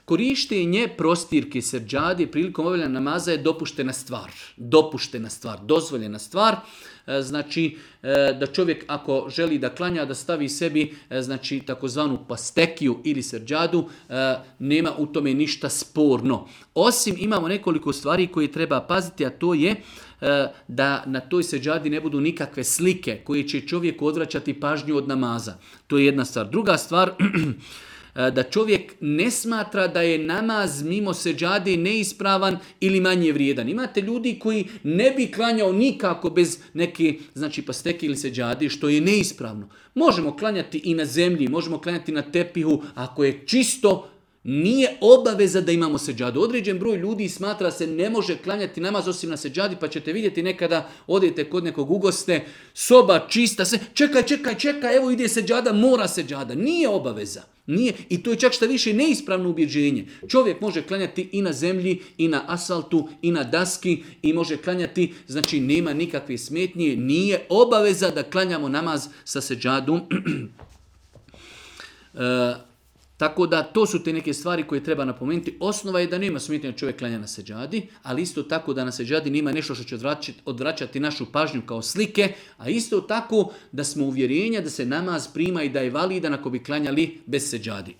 Korištenje prostirke seđade prilikom obavljanja namaza je dopuštena stvar. Dopuštena stvar, dozvoljena stvar. Znači da čovjek ako želi da klanja da stavi sebi znači takozvanu pastekiju ili seđadu, nema u tome ništa sporno. Osim imamo nekoliko stvari koje treba paziti, a to je da na toj seđadi ne budu nikakve slike koje će čovjeku odvraćati pažnju od namaza. To je jedna stvar. Druga stvar, da čovjek ne smatra da je namaz mimo seđade neispravan ili manje vrijedan. Imate ljudi koji ne bi klanjao nikako bez neke znači pasteke ili seđade, što je neispravno. Možemo klanjati i na zemlji, možemo klanjati na tepihu, ako je čisto, nije obaveza da imamo seđadu. Određen broj ljudi smatra se ne može klanjati namaz osim na seđadi, pa ćete vidjeti nekada odete kod nekog ugoste, soba čista, se čekaj, evo ide seđada, mora seđada. Nije obaveza. Nije. I to je čak šta više neispravno ubjeđenje. Čovjek može klanjati i na zemlji, i na asfaltu, i na daski, i može klanjati, znači nema nikakve smetnje, nije obaveza da klanjamo namaz sa seđadom. Tako da to su te neke stvari koje treba napomenuti. Osnova je da nema smetnje da čovjek klanja na seđadi, ali isto tako da na seđadi nema nešto što će odvraćati našu pažnju kao slike, a isto tako da smo uvjerenja da se namaz prima i da je validan ako bi klanjali bez seđadi.